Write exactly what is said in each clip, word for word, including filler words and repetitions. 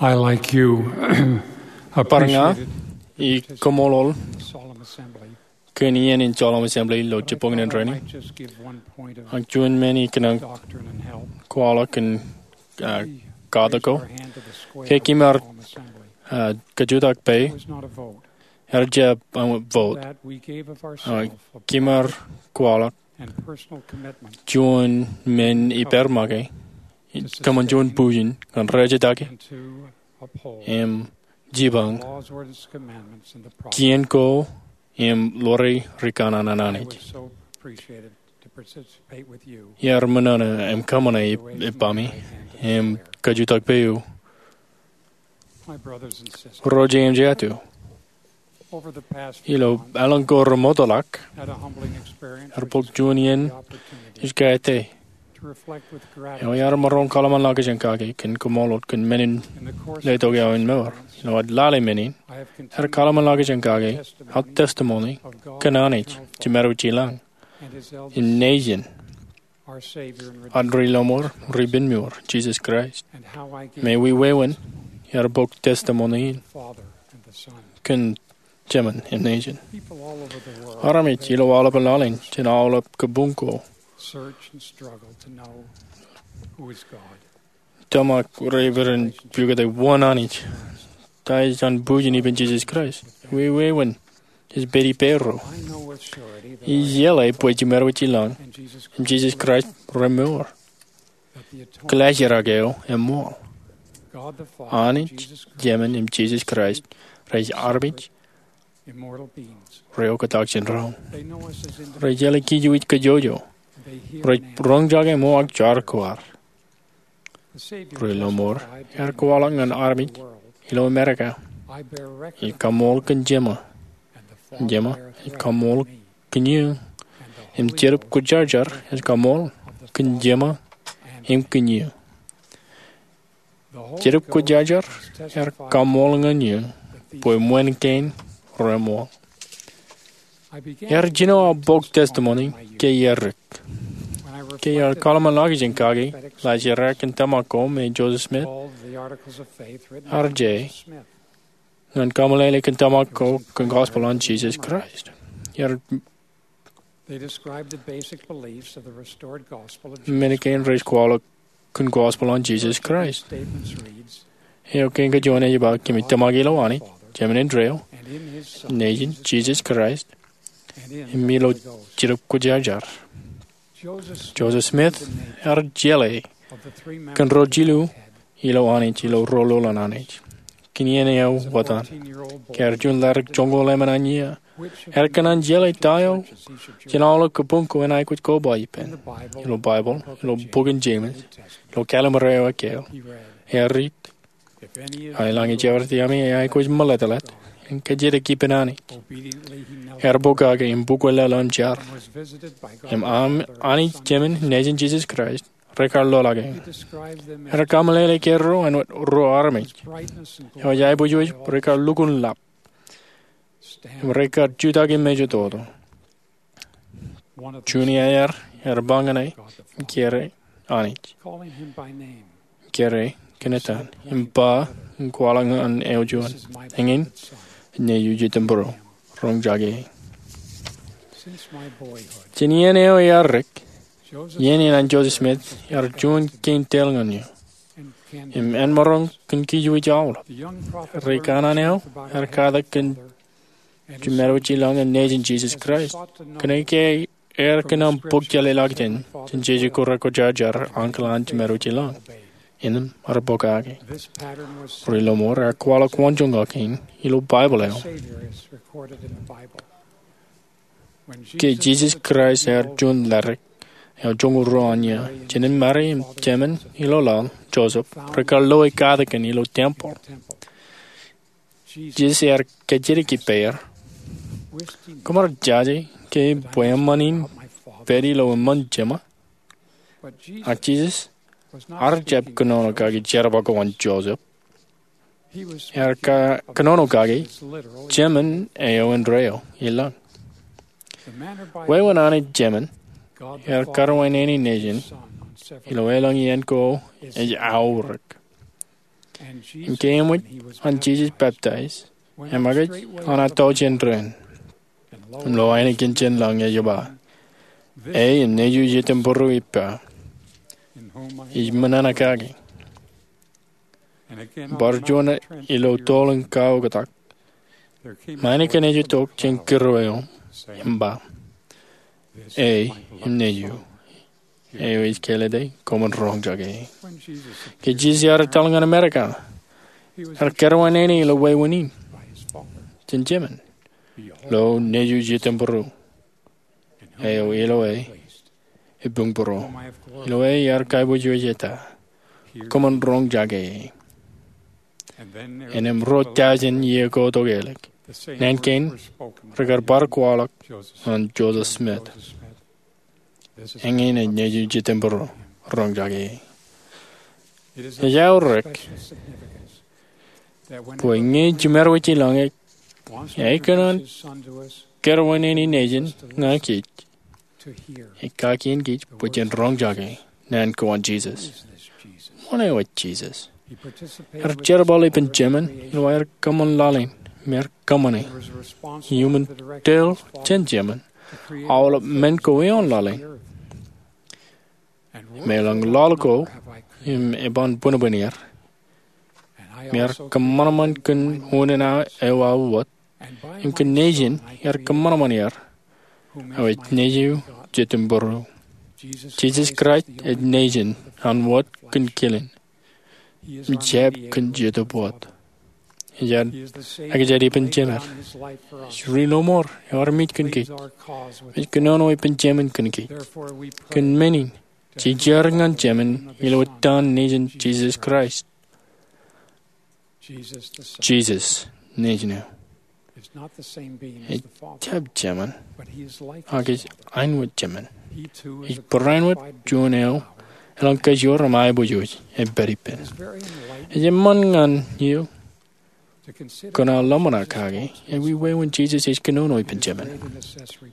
I, like you, bar ña, appreciated ij koṃṃool the solemn assembly kōn iien in solemn assembly ilo jibboñin rainin. Ak juon men ikōṇaan kwaḷọk kōn, uh, katak ko. Ke kōm ar, uh, kajutak peiṃ, ear jab vote. Uh, kōm ar kwaḷọk juon men ippāer make, kōṃṃan juon bujen ñan rej jitōñ im jipañ kien ko im ḷoore rikanaan an Anij. Iar ṃōṇōṇō im kōṃṃane ippaṃi im kajutak peiṃ, ro jeiū im jeiū. Ilo elōñ ko remootḷọk, ear bōk juon iien ij kaete eo iar maroñ kōḷmānḷọkjeṇ kake kōn koṃṃool wōt kōn men in letok eo in mour. Ilo ad lale men in, ear kōḷmānḷọkjeṇ kake aō testimony kōn Anij Jemedwōj ilañ im nejin ad Ri-lọmọọr, Ri-penmour, Jisōs Kraist. Im ij wāween iar bōk testimony in kōn Jemān im Nejin. Armej ilo aolepān laḷ in jān aolep kabuñ ko tōmak repen pukot wōn Anij, ta ej an bujen ippān Jisōs Kraist. Ij wāween ej pād ippārro. Ij jeḷā bwe Jemedwōj ilañ im Jisōs Kraist remour. Kwōlaajrak eo eṃṃool. Anij Jemān im Jisōs Kraist rej armej ro oktak jān doon. Rej jeḷā kij wōj kajjojo. Rej roñjake ṃool ak jar ko ad. Ri-lọmọọr ear kwaḷọk ñan armej ilo Amerika, ij kaṃṃool kōn Jema, Jema ej kaṃṃool kōn eō, im Jetōb Kwōjarjar ej kaṃṃool kōn Jema im kōn eō. Jetōb Kwōjarjar ear kaṃṃool ñan eō bwe ṃōn kein reṃool. Iar jino aō bok testimony ke iar dik. Ke iar kōḷmānḷọkjeṇ kake laajrak in tōmak ko me Joseph Smith, arje ñan kaṃṃoolol kōn tōmak ko kōn gospel an Jisōs Kraist. Iar men kein rej kwaḷọk kōn gospel an Jisōs Kraist. Eo kein kajuon ej ba, kōmij tōmak ilo Anij, Jemān indeeo, Nejin Jisōs Kraist, im ilo Jetōb Kwōjarjar. Joseph Smith ear jeḷā kōn ro jilu ilo Anij ilo rōl an Anij. Kōn iien eo etan, ke ear juon ḷaddik joñoul emān an iiō, ear kōṇaan jeḷā ta eo jān aolep kabuñ ko en aikuj koba ippān. Ilo Baibōḷ, ilo bok in Jemes, ilo Kallim̧ur eo ekkā, ear riit, A ilañ ejjeḷọk iaami, eaikuj ṃōḷeḷḷeḷe in kajjitōk ippān Anij, ear bōk kake im bukwe laḷ an jar, im Anij Jemān Nejin Jisōs Kraist rekar lolake. Ear kaṃṃoolol kōj ro āinwōt ro armej eo ej aiboojoj rekar lukkuun lap im rekar jutak im mejatoto. Juon iaer ear ba ñane im kōrā Anij, kōrā kōn etan, im ba im kwaḷọk ñan eo juon, eñin nejū jitōnbōro, roñjake e. Jān iien eo ear dik, iien in an Joseph Smith ear juon kein tōl ñan eō im āinmaroñ kōn kij wōj aolep. Rikanaan eo ear katak kōn Jemān Wōj Ilañ im Nejin Jisōs Kraist. Kōnke ear kōṇaan bōk jeḷāḷọkjeṇ jān jeje ko rekwōjarjar ankilaañ Jemān Wōj Ilañ, innem ear bōk kake. Ri-lọmọọr, ear kwaḷọk waanjoñak in ilo Baibōḷ eo. Ke Jisōs Kraist ear juon ḷaddik eo joñoul ruo an iiō, jān in Mari im jemān ilo laḷ, Joseph, rekar loe katakin ilo tempeḷ. Jisōs ear kajjitōk ippāer, "Koṃ ar jaje ke bwe eṃṃan in pād ilo eṃṃan Jema?" Ak Jisōs ear jab kōnono kake jerbal ko an Joseph. Ear kōnono kake Jemān eo indeeo ilañ. Wāween Anij Jemān ear karuwainene Nejin ilo elōñ iien ko ej aorōk. Im ke eṃōj an Jisōs peptaij, eṃōkaj an etto jān doon, im lo ainikien jān lañ ej ba, E im neju jitōmbūru ippa, ij ṃōṇōṇō kaki. Bar juon ilo toḷ in kaoktak, ṃae ej tok jān kūr eo im ba, E im neju, eo ij kālōte koṃwin roñjake e. Ke Jisōs ear etal ñan Amerika, ear kōrā wāween ilo wāween in jān Jemān, Lo neju jitōmbūru, eo ilo e ebuñbūro, ilo e iar kaiboojoj eta, koṃwin roñjake e. Innām ruo tọujin iiō ko tok ālikin naan kein, rekar bar kwaḷọk ñan Joseph Smith, Eñin ej neju jitōmbūru, roñjake e. Ej aorōk bwe ñe jiṃor wōj ilañ ej kōṇaan kōrā wāween in nejin ñan kōj, ej kakien kōj bwe jen roñjake naan ko an Jisōs. Ṃoṇe eo ej Jisōs. Ear jerbal ippān Jemān ilo aer kōṃṃan laḷ in im ear kōṃṃane iuṃwin tōl jān Jemān aolep men ko ioon laḷ in. Im elōñ laḷ ko im eban bwinbwin er, im ear kōṃanṃan kōn unin eo aō wōt, im kōn nejin ear kōṃanṃan er, eo ej neju jitōmbūru. Jisōs Kraist ej nejin an wōt kōn kilin im jab kōn jetōb wōt. Ej ekjān ippān Jemān. Ri-lọmọọr eo armej kōn kōj. Ej kōnono ippān Jemān kōn kōj. Kōn men in, jejeer ñan Jemān ilo ettaan nejin Jisōs Kraist. Jisōs nejin eo ej jab Jemān, ak ej āinwōt Jemān. Ej barāinwōt juon eo elōñ kajoor im aiboojoj ej pād ippān. Ej eṃṃan ñan eok kōn aō ḷōmṇak kake ewi wāween Jisōs ej kōnono ippān Jemān.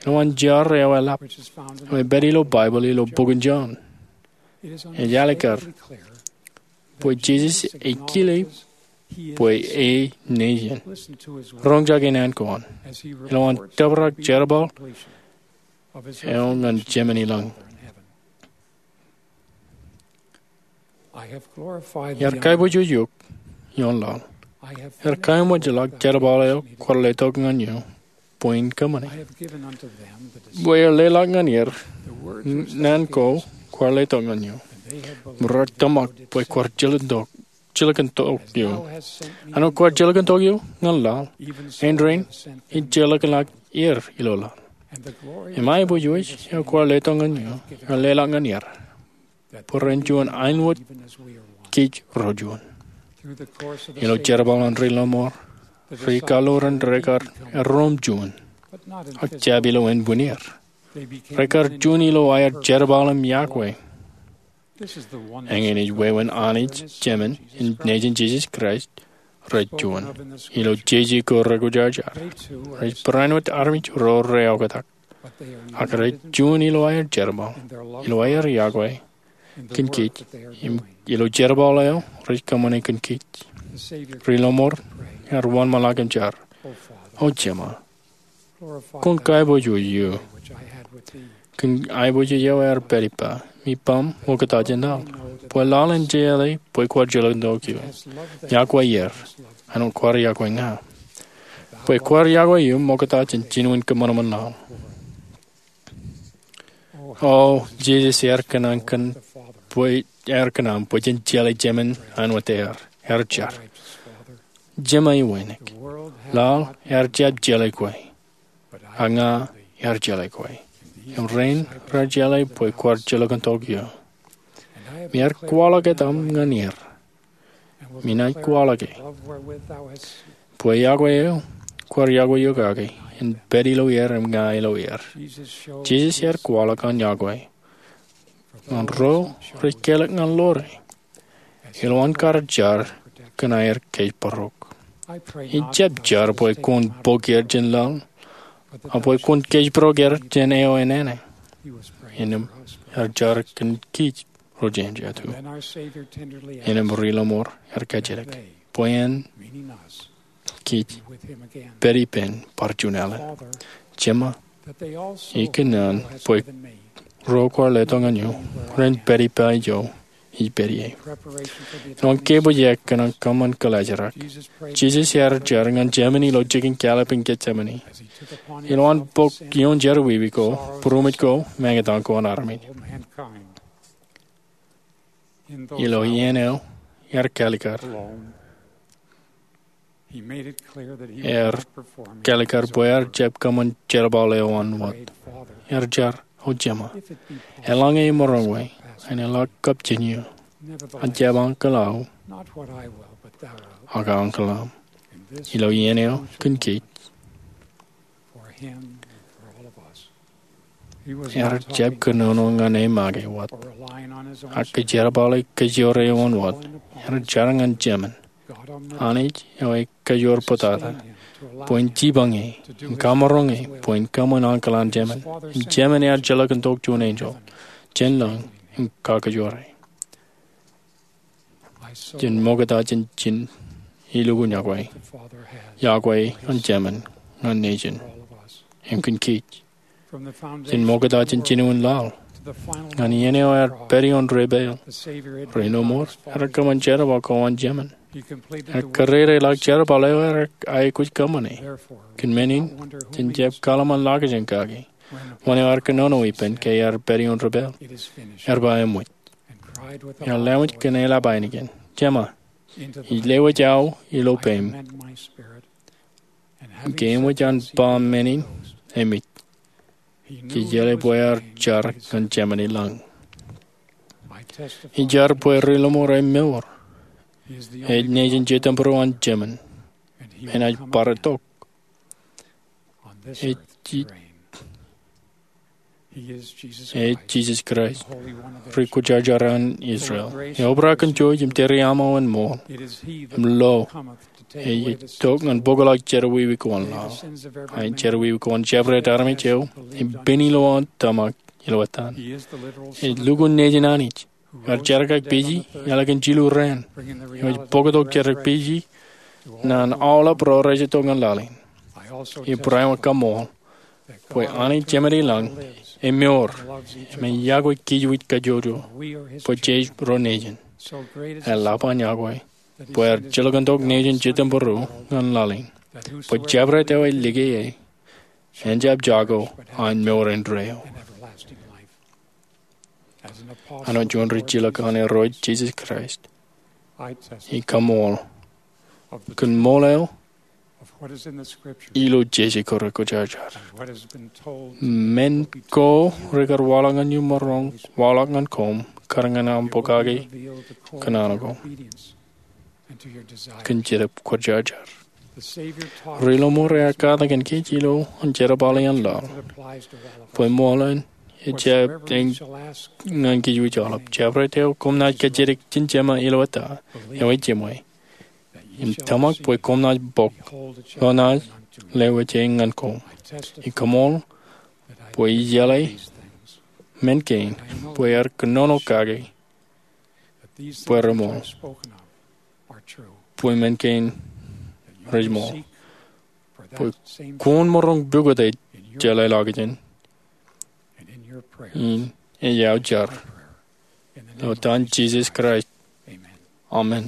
Ilo an jar eo eḷap eo ej pād ilo Baibōḷ ilo bok in Jon, ej alikkar bwe Jisōs ej kile bwe e nejin. Roñjake naan ko an ilo an tōprak jerbal eo ñan Jemān ilañ. Iar kaiboojoj eok ioon laḷ. Iar kaeṃōjḷọk jerbal eo kwaar letok ñan eō bwe in kōṃṃane, bwe iar leḷọk ñan er naan ko kwaar letok ñan eō, im raar tōmak bwe kwaar jilkintok eō. Āinwōt kwaar jilkintok eō ñan laḷ, āindein ij jilkinḷọk er ilo laḷ. Im aiboojoj eo kwaar letok ñan eō ear leḷọk ñan er, bwe ren juon āinwōt kōj ro juon. Ilo jerbal an ri-lọmọọr, ri-kaḷoran rekar erom juon, ak jab ilo ānbwinnier. Rekar juon ilo aer jerbal im yokwe. Eñin ej wāween Anij Jemān im nejin Jisōs Kraist rej juon. Ilo jeje ko rekwōjarjar, rej barāinwōt armej ro reoktak, ak rej juon ilo aer jerbal, ilo aer yokwe kōn kōj, im ilo jerbal eo rej kōṃṃane kōn kōj. Ri-lọmọọr ear wōnṃaanḷọk im jar, O Jema, kwōn kaiboojoj eō kōn aiboojoj eo aer pād ippa mi baṃ ṃokta jān laḷ, bwe laḷ en jeḷā bwe kwaar jilkintok eō. Yokwe er āinwōt kwaar yokwe ña, bwe kwaar yokwe eō ṃokta jān jinen kōṃanṃan laḷ. O Jisōs, ear kōṇaan bwe jen jeḷā Jemān āinwōt ear. Ear jar, Jema iwānōk, laḷ ear jab jeḷā kwe, ak ña ear jeḷā kwe, im rein raar jeḷā bwe kwaar jilkintok eō. Im ear kwaḷọk etaṃ ñan er, im inaaj kwaḷọke, bwe yokwe eo kwaar yokwe eok kake en pād ilo er im ña ilo er. Jisōs ear kwaḷọk an yokwe ñan ro rej kālōk ñan ḷoore ilo an kar jar kōn aer kōjparok. Ij jab jar bwe kwōn bōk er jān laḷ, ak bwe kwōn kōjparok er jān eo enana. Innām ear jar kōn kōj ro jān jatū. Innām ri-lọmọọr ear kajjitōk bwe en kij pād ippān bar juon alen. Jeṃa, ikōṇaan bwe ro kwaar letok ñan eō ren pād ippa ijo ij pād ie. Ilo an kebwijak kōn an kōṃṃan kōḷaajrak, Jisōs ear jar ñan Jemān ilo jikin kalōk in Jetsemane. Ilo an bōk ioon jerọwiwi ko, būroṃōj ko, meñe etan ko an armej. Ilo iien eo ear kalikar, ear kalikar bwe ear jab kōṃṃan jerbal eo an wōt. Ear jar, O Jeṃa, eḷaññe emaroñ, eḷak kab jān eō, ak jab ankilaaō, ak ankilaaṃ. Ilo iien eo kōn kōj, ear jab kōnono ñan e make wōt, ak kōjerbale kōjoor eo an wōt. Ear jar ñan Jemān, Anij eo ej Kajoor Bōtata, bwe en jipañ e, en kamaroñ e bwe en kōṃṃan ankilaañ Jemān. Im Jemān ear jilkintok juon enjeḷ jān lañ im kakajoor e. Jen ṃokta jān ijin elukkuun yokwe, yokwe an Jemān ñan nejin im kōn kōj. Jen ṃokta jān jinoin laḷ ñan iien eo ear pād ioon debwāāl. Ri-lọmọọr ear kōṃṃan jerbal ko an Jemān. Ear kōrā eḷak jerbal eo ear aikuj kōṃṃane. Kōn men in, jen jab kōḷmānḷọkjeṇ kake wōn eo ear kōnono ippān ke ear pād ioon debwāāl. Ear ba eṃōj. Ear lewōj kōn eḷap ainikien, Jeṃa, ij lewōj aō ilo peiṃ. Im ke eṃōj an ba men in, eṃōj. Jej jeḷā bwe ear jar ñan Jemān i lañ. Ij jar bwe ri-lọmọọr ej mour. Ej nejin Jetōnbōro an Jemān. Enaaj bar itok. Ej Jisōs Kraist, Ri-Kwōjarjar an Israel, eobrak kōn jouj im tōre aṃ eo en ṃool im lo. Ej itok ñan bōkḷọk jerọwiwi ko an laḷ, ak jerọwiwi ko an jabdewōt armej eo ej pen ilo aō tōmak ilo etan. Ej lukkuun nejin Anij eo ej jerkakpeje eḷak an jilu raan, eo ej bōktok jerkakpeje ñan aolep ro rej itok ñan laḷ in. Ij barāinwōt kaṃṃoolol bwe Anij Jemān i lañ ej mour im ej yokwe kij wōj kajjojo bwe jej ro nejin. Eḷap an yokwe bwe ear jilkintok nejin Jetōnbōro ñan laḷ in, bwe jabdewōt eo ej lōke e en jab jako an mour indeeo. Āinwōt juon rijilōk an Irooj Jisōs Kraist, ij kaṃṃoolol kōn ṃool eo ilo jeje ko Ri-Kwōjarjar. Men ko rekar waḷọk ñan eō maroñ waḷọk ñan koṃ kar ñan aṃ pokake kōnono ko kōn Jetōb Kwōjarjar. Ri-lọmọọr ear katakin kōj ilo an jerbale an laḷ bwe ṃool in ejjab eñ ñan kij wōj aolep. Jabdewōt eo koṃ naaj kajjitōk jān Jeṃa ilo eta eo ej jiṃwe im tōmak bwe koṃ naaj bōk eo naaj lewōj e ñan koṃ. Ij kaṃṃoolol bwe ij jeḷā men kein bwe ear kōnono kake bwe reṃool, bwe men kein rej ṃool, bwe kwōn maroñ pukot ej jeḷāḷọkjeṇ in ej aō jar ilo etan Jisōs Kraist, amen.